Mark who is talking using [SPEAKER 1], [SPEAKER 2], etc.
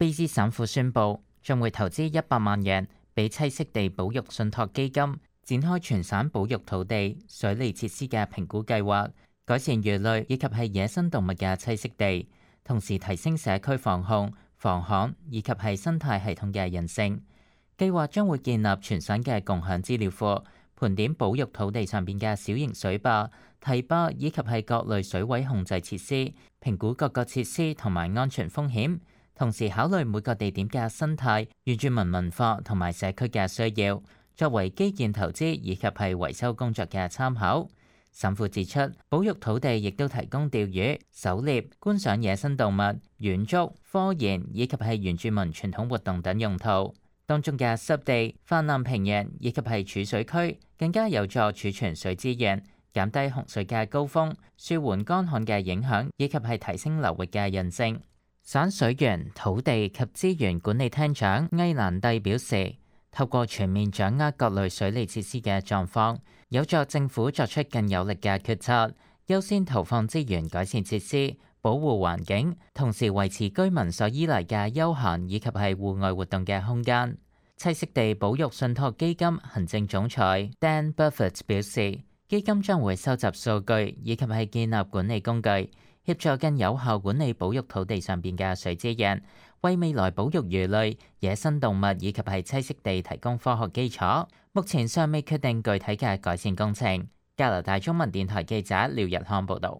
[SPEAKER 1] 卑詩省府宣布將會投資100萬元俾棲息地保育信託基金，展開全省保育土地、水利設施嘅評估計劃，改善魚類以及係野生動物嘅棲息地，同時提升社區防控、防旱以及係生態系統嘅韌性。計劃將會建立全省嘅共享資料庫，盤點保育土地上邊嘅小型水壩、堤壩以及係各類水位控制設施，評估各個設施同埋安全風險，同時考慮每個地點嘅生態、原住民文化同埋社區嘅需要，作為基建投資以及係維修工作嘅參考。省府指出，保育土地亦都提供釣魚、狩獵、觀賞野生動物、遠足、科研以及係原住民傳統活動等用途。當中嘅濕地、泛濫平原以及係儲水區，更加有助儲存水資源，減低洪水嘅高峰，舒緩乾旱嘅影響，以及係提升流域嘅韌性。省水源、土地及資源管理廳長埃蘭蒂表示，透過全面掌握各類水利設施嘅狀況，有助政府作出更有力嘅決策，優先投放資源改善設施，保護環境，同時維持居民所依賴嘅休閒以及係戶外活動嘅空間。棲息地保育信託基金行政總裁 Dan Buffett 表示，基金將會收集數據以及係建立管理工具，協助更有效管理保育土地上邊嘅水資源，為未來保育魚類、野生動物以及係棲息地提供科學基礎。目前尚未決定具體嘅改善工程。加拿大中文電台記者廖日康報導。